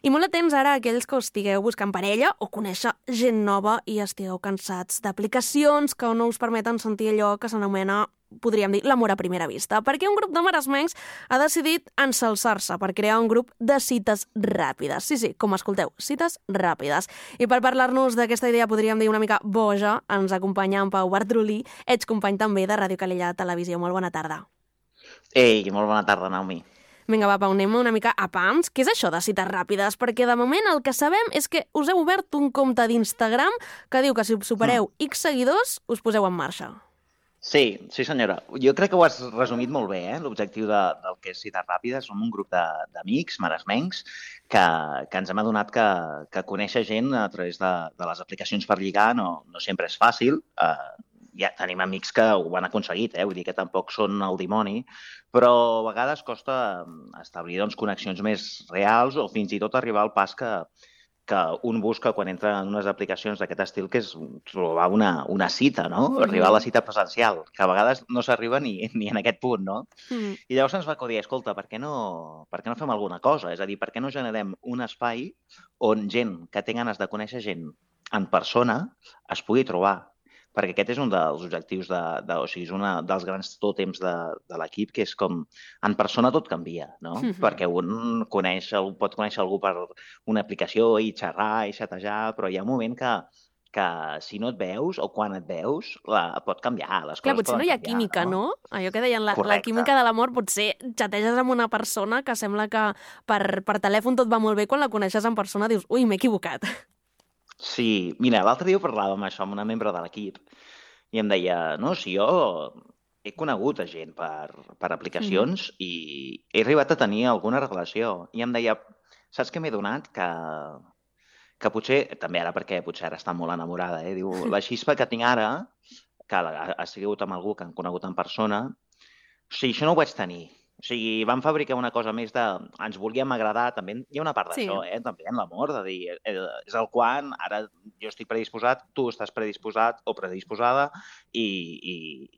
I molt atents ara a aquells que estigueu buscant parella o conèixer gent nova i estigueu cansats d'aplicacions que no us permeten sentir allò que s'anomena, podríem dir, l'amor a primera vista, perquè un grup de maresmencs ha decidit ensalçar-se per crear un grup de cites ràpides. Sí, com escolteu, cites ràpides. I per parlar-nos d'aquesta idea, podríem dir una mica boja, ens acompanya en Pau Bartrolí, ets company també de Ràdio Calella Televisió. Molt bona tarda. Ei, molt bona tarda, Naomi. Vinga, va, Pau, anem una mica a pams. Què és això de cites ràpides? Perquè de moment el que sabem és que us heu obert un compte d'Instagram que diu que si supereu X seguidors us poseu en marxa. Sí, senyora. Jo crec que ho has resumit molt bé, l'objectiu del que és cites ràpides. Som un grup d'amics, maresmencs, que ens hem adonat que conèixer gent a través de les aplicacions per lligar no sempre és fàcil. Ja tenim amics que ho han aconseguit, vull dir que tampoc són el dimoni, però a vegades costa establir connexions més reals o fins i tot arribar al pas que un busca quan entra en unes aplicacions d'aquest estil, que és trobar una cita, no? Arribar a la cita presencial, que a vegades no s'arriba ni en aquest punt, no? I llavors ens va acudir, escolta, per què no fem alguna cosa? És a dir, per què no generem un espai on gent que té ganes de conèixer gent en persona es pugui trobar? Perquè aquest és un dels objectius, o sigui, és un dels grans tòtems de l'equip, que és com, en persona tot canvia, no? Perquè un pot conèixer algú per una aplicació i xerrar i xatejar, però hi ha un moment que si no et veus o quan et veus pot canviar, les coses Clar, potser poden no hi ha canviar, química, no? Allò que deien, la química de l'amor, potser xateges amb una persona que sembla que per telèfon tot va molt bé, quan la coneixes en persona dius, ui, m'he equivocat. Sí, mira, l'altre dia parlàvem això amb una membre de l'equip i em deia, no, si jo he conegut a gent per aplicacions i he arribat a tenir alguna relació. I em deia, saps què m'he donat? Que potser, també ara perquè potser ara està molt enamorada, diu, la xispa que tinc ara, que ha sigut amb algú que han conegut en persona, o sigui, això no ho vaig tenir. O sigui, vam fabricar una cosa més de... Ens volíem agradar, també hi ha una part d'això, també en l'amor, de dir, és el quan, ara jo estic predisposat, tu estàs predisposat o predisposada i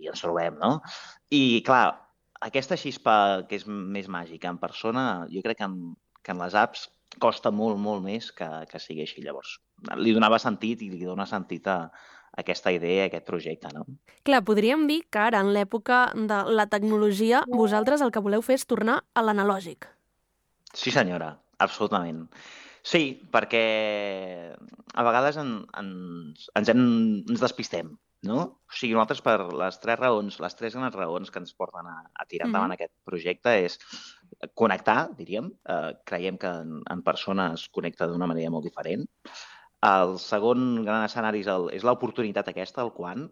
ens trobem, no? I, clar, aquesta xispa que és més màgica en persona, jo crec que en les apps costa molt, molt més que sigui així. Llavors, li donava sentit i li dona sentit a aquesta idea, a aquest projecte, no? Clar, podríem dir que ara, en l'època de la tecnologia, vosaltres el que voleu fer és tornar a l'analògic. Sí, senyora, absolutament. Sí, perquè a vegades ens despistem, no? O sigui, nosaltres per les tres grans raons que ens porten a tirar endavant aquest projecte és connectar, diríem. Creiem que en persona es connecta d'una manera molt diferent. El segon gran escenari és l'oportunitat aquesta, el quan.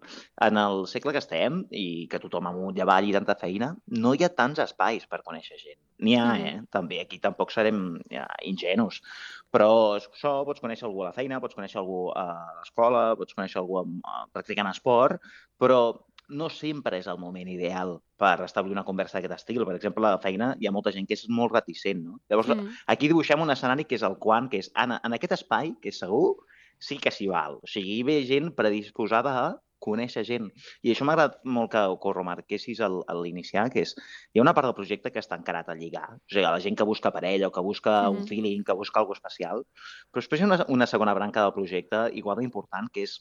En el segle que estem i que tothom amunt i avall i tanta feina, no hi ha tants espais per conèixer gent. N'hi ha, també. Aquí tampoc serem ingenus. Però això, pots conèixer algú a la feina, pots conèixer algú a l'escola, pots conèixer algú practicant esport, però no sempre és el moment ideal per establir una conversa d'aquest estil. Per exemple, a la feina hi ha molta gent que és molt reticent, no? Llavors, aquí dibuixem un escenari que és el quan, que és en aquest espai, que és segur, sí que s'hi val. O sigui, hi ve gent predisposada a conèixer gent. I això m'ha agradat molt que ho remarquessis a l'iniciar, que és, hi ha una part del projecte que està encarat a lligar. O sigui, la gent que busca parella o que busca un feeling, que busca alguna especial. Però després hi ha una segona branca del projecte igual d'important, que és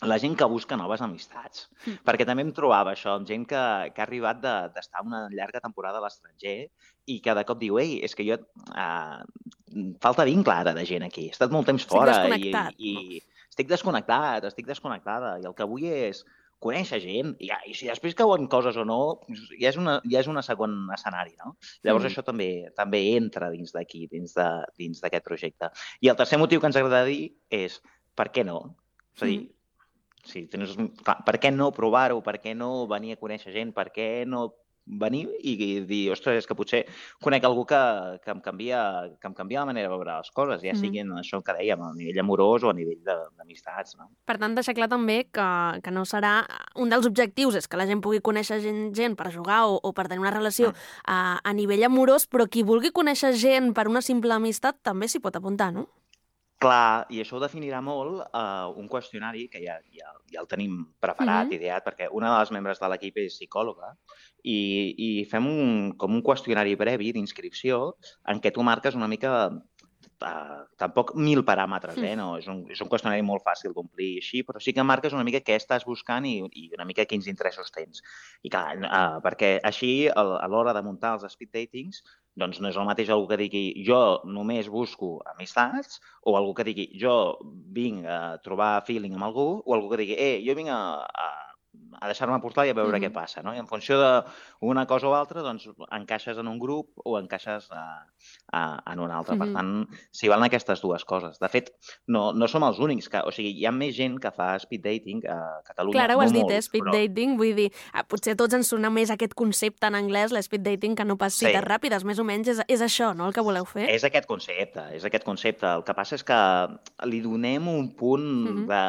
la gent que busca noves amistats. Perquè també em trobava això, amb gent que ha arribat d'estar una llarga temporada a l'estranger i que de cop diu, ei, és que jo... falta vincle ara de gent aquí. He estat molt temps fora i estic desconnectada. I el que vull és conèixer gent i si després cauen coses o no, ja és un segon escenari, no? Llavors això també entra dins d'aquí, dins d'aquest projecte. I el tercer motiu que ens agrada dir és per què no? És a dir, per què no provar-ho? Per què no venir a conèixer gent? Per què no venir i dir, ostres, és que potser conec algú que em canvia la manera de veure les coses, ja sigui en això que dèiem, a nivell amorós o a nivell d'amistats, no? Per tant, deixar clar també que no serà... Un dels objectius és que la gent pugui conèixer gent per jugar o per tenir una relació a nivell amorós, però qui vulgui conèixer gent per una simple amistat també s'hi pot apuntar, no? Clar, i això ho definirà molt un qüestionari que ja el tenim preparat, ideat, perquè una de les membres de l'equip és psicòloga i fem com un qüestionari previ d'inscripció en què tu marques una mica tampoc 1.000 paràmetres, no? És un qüestionari molt fàcil d'omplir així, però sí que marques una mica què estàs buscant i una mica quins interessos tens. I clar, perquè així, a l'hora de muntar els speed datings, doncs no és el mateix algú que digui jo només busco amistats o algú que digui jo vinc a trobar feeling amb algú o algú que digui jo vinc a deixar-me portar i a veure què passa, no? I en funció d'una cosa o altra, doncs encaixes en un grup o encaixes en un altre. Per tant, s'hi valen aquestes dues coses. De fet, no som els únics. O sigui, hi ha més gent que fa speed dating a Catalunya. Clar, ho has dit, speed dating. Vull dir, potser a tots ens sona més aquest concepte en anglès, l'speed dating, que no pas cites ràpides. Més o menys és això, no?, el que voleu fer? És aquest concepte. El que passa és que li donem un punt de...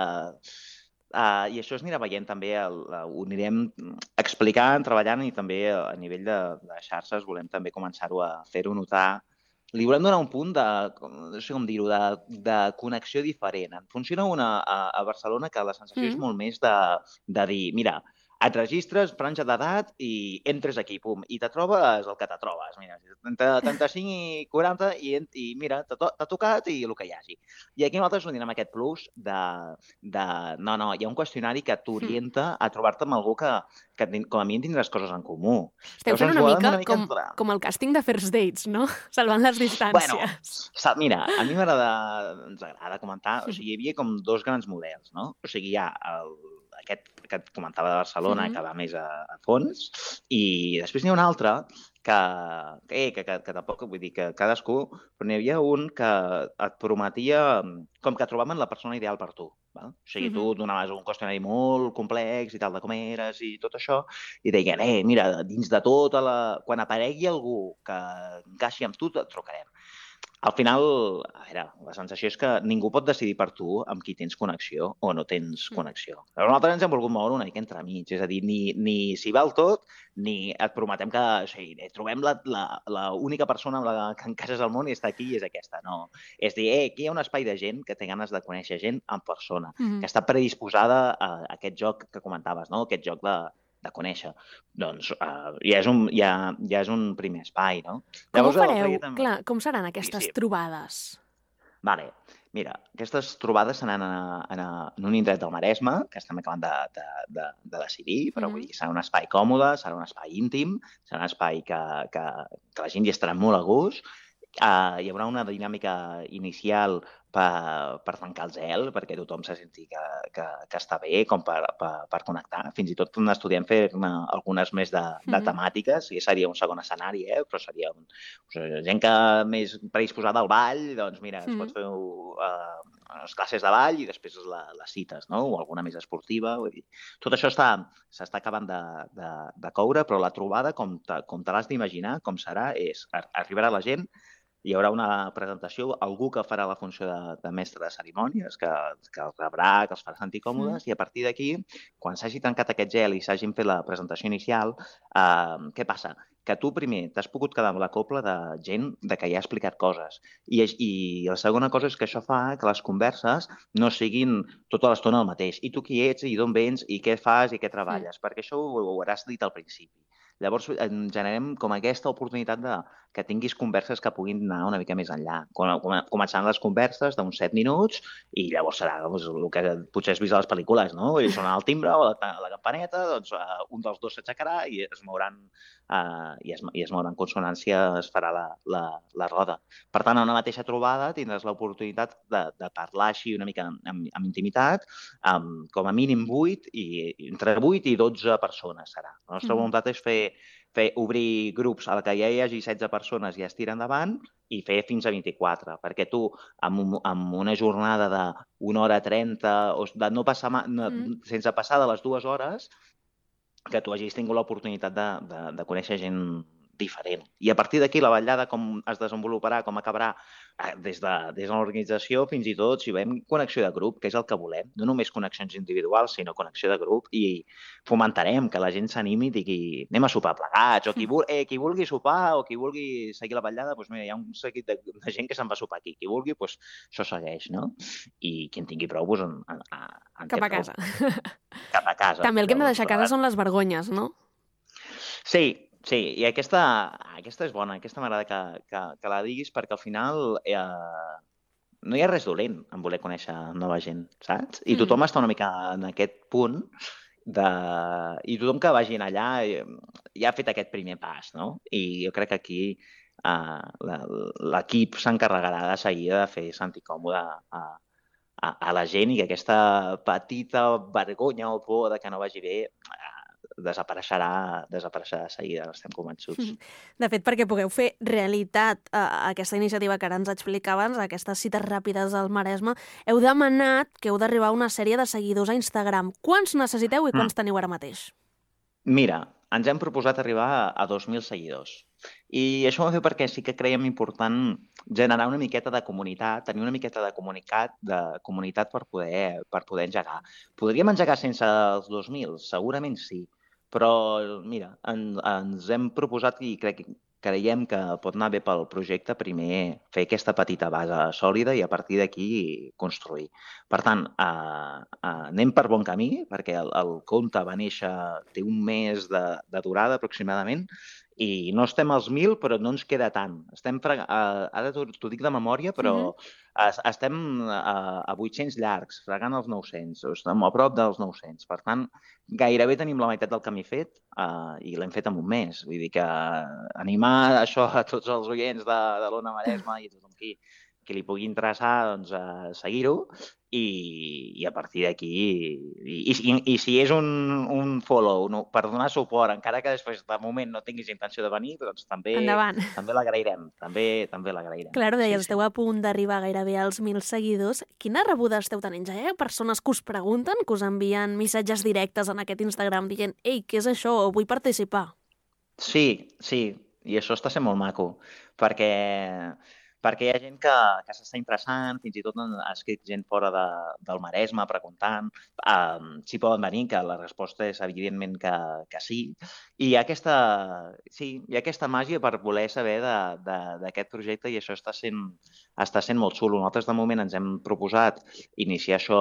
I això es anirà veient també, ho anirem explicant, treballant i també a nivell de xarxes volem també començar-ho a fer-ho notar. Li volem donar un punt de, no sé com dir-ho, de connexió diferent. En funciona una a Barcelona que la sensació és molt més de dir, mira, et registres, franja d'edat i entres aquí, pum, i te trobes el que te trobes. Mira, entre 35 i 40 i mira, t'ha tocat i el que hi hagi. I aquí nosaltres donem aquest plus de no, hi ha un qüestionari que t'orienta a trobar-te amb algú que com a mínim tindràs coses en comú. Esteu fent una mica com el càsting de First Dates, no? Salvant les distàncies. Bueno, mira, a mi ens agrada comentar, o sigui, hi havia com dos grans models, no? O sigui, hi ha aquest que et comentava de Barcelona, que va més a fons, i després n'hi ha un altre que tampoc vull dir que cadascú, però n'hi havia un que et prometia com que trobaven la persona ideal per tu. Val? O sigui, tu donaves un qüestionari molt complex i tal, de com eres i tot això, i deien, mira, dins de tota quan aparegui algú que encaixi amb tu, et trucarem. Al final, a veure, la sensació és que ningú pot decidir per tu amb qui tens connexió o no tens connexió. Però nosaltres ens hem volgut moure una mica entremig, és a dir, ni s'hi val tot, ni et prometem que trobem l'única persona amb la que encaixes al món i està aquí i és aquesta. No. És dir, aquí hi ha un espai de gent que té ganes de conèixer gent en persona, que està predisposada a aquest joc que comentaves, no? Aquest joc de conèixer. Doncs ja és un primer espai, no? Com ho fareu? Clar, com seran aquestes trobades? Vale. Mira, aquestes trobades seran en un indret del Maresme, que estem acabant de decidir, però vull dir, serà un espai còmode, serà un espai íntim, serà un espai que la gent hi estarà molt a gust. Hi haurà una dinàmica inicial per tancar el zel, perquè tothom se senti que està bé, com per connectar. Fins i tot estudiem fer algunes més de temàtiques, i seria un segon escenari, però seria gent que més predisposada al ball, doncs mira, es pot fer les classes de ball i després les cites, no? O alguna més esportiva. Vull dir. Tot això s'està acabant de coure, però la trobada, com te l'has d'imaginar, com serà, és arribarà la gent, hi haurà una presentació, algú que farà la funció de mestre de cerimònies, que els rebrà, que els farà sentir còmodes, i a partir d'aquí, quan s'hagi tancat aquest gel i s'hagin fet la presentació inicial, què passa? Que tu primer t'has pogut quedar amb la copla de gent que ja ha explicat coses. I la segona cosa és que això fa que les converses no siguin tota l'estona el mateix. I tu qui ets, i d'on vens, i què fas, i què treballes. Perquè això ho hauràs dit al principi. Llavors, generem com aquesta oportunitat que tinguis converses que puguin anar una mica més enllà. Començant les converses d'uns 7 minuts i llavors serà el que potser has vist a les pel·lícules, no? I sona el timbre o la campaneta, doncs un dels dos s'aixecarà i es mouran en consonància, es farà la roda. Per tant, a una mateixa trobada tindràs l'oportunitat de parlar així una mica amb intimitat, com a mínim 8, i entre 8 i 12 persones serà. La nostra voluntat és obrir grups a la que ja hi hagi 16 persones i es tira endavant i fer fins a 24, perquè tu amb una jornada de 1 hora 30 o de no passar sense passar de les 2 hores, que tu hagis tingut l'oportunitat de conèixer gent diferent. I a partir d'aquí la vetllada com es desenvoluparà, com acabarà, des de l'organització fins i tot si veiem connexió de grup, que és el que volem, no només connexions individuals, sinó connexió de grup, i fomentarem que la gent s'animi i digui anem a sopar plegats, o qui vulgui sopar o qui vulgui seguir la vetllada, doncs mira, hi ha un seguit de gent que se'n va a sopar aquí. Qui vulgui, doncs això segueix, no? I qui en tingui prou, doncs cap a casa. Cap a casa. També el que hem de deixar a casa són les vergonyes, no? Sí, Sí, i aquesta és bona, aquesta m'agrada que la diguis perquè al final no hi ha res dolent en voler conèixer nova gent, saps? I tothom està una mica en aquest punt de... I tothom que vagin allà ja ha fet aquest primer pas, no? I jo crec que aquí l'equip s'encarregarà de seguida de fer sentir còmode a la gent i que aquesta petita vergonya o por de que no vagi bé desapareixerà de seguida, estem convençuts. De fet, perquè pugueu fer realitat aquesta iniciativa que ara ens explicaves, aquestes cites ràpides al Maresme, heu demanat que heu d'arribar a una sèrie de seguidors a Instagram. Quants necessiteu i quants teniu ara mateix? Mira, ens hem proposat arribar a 2.000 seguidors. I això ho vam fer perquè sí que creiem important generar una miqueta de comunitat, tenir una miqueta de comunitat per poder engegar. Podríem engegar sense els 2.000? Segurament sí. Però, mira, ens hem proposat i creiem que pot anar bé pel projecte primer fer aquesta petita base sòlida i a partir d'aquí construir. Per tant, anem per bon camí, perquè el compte va néixer, té un mes de durada aproximadament, i no estem als 1.000, però no ens queda tant. Estem ara t'ho dic de memòria, però estem a 800 llargs, fregant els 900, estem a prop dels 900. Per tant, gairebé tenim la meitat del camí fet i l'hem fet en un mes. Vull dir que animar això a tots els oients de l'Ona Maresme i a tothom qui li pugui interessar, doncs, seguir-ho i a partir d'aquí i si és un follow per donar suport, encara que després de moment no tinguis intenció de venir, doncs també l'agrairem, també l'agrairem. Clar, ho deies, esteu a punt d'arribar gairebé als 1.000 seguidors. Quina rebuda esteu tenint? Ja hi ha persones que us pregunten, que us envien missatges directes en aquest Instagram dient «Ei, què és això? Vull participar». Sí, i això està sent molt maco, perquè hi ha gent que s'està interessant, fins i tot ha escrit gent fora del Maresme preguntant si poden venir, que la resposta és evidentment que sí. I hi ha aquesta màgia per voler saber d'aquest projecte i això està sent molt xulo. Nosaltres de moment ens hem proposat iniciar això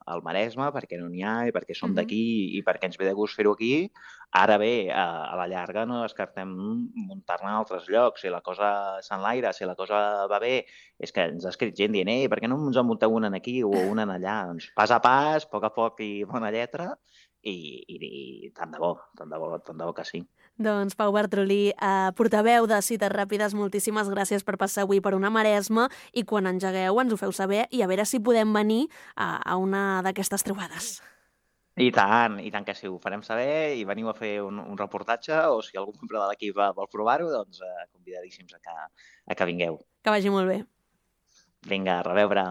al Maresme perquè no n'hi ha i perquè som d'aquí i perquè ens ve de gust fer-ho aquí. Ara bé, a la llarga no descartem muntar-ne en altres llocs. Si la cosa s'enlaira, si la cosa va bé, és que ens ha escrit gent dient per què no ens en munteu una aquí o una allà? Doncs pas a pas, a poc i bona lletra i tant de bo que sí. Doncs Pau Bartrolí, portaveu de Cites Ràpides, moltíssimes gràcies per passar avui per una Maresme i quan engegueu ens ho feu saber i a veure si podem venir a una d'aquestes trobades. I tant que sí, ho farem saber i veniu a fer un reportatge o si algun membre de l'equip vol provar-ho, doncs convidadíssims a que vingueu. Que vagi molt bé. Vinga, a reveure.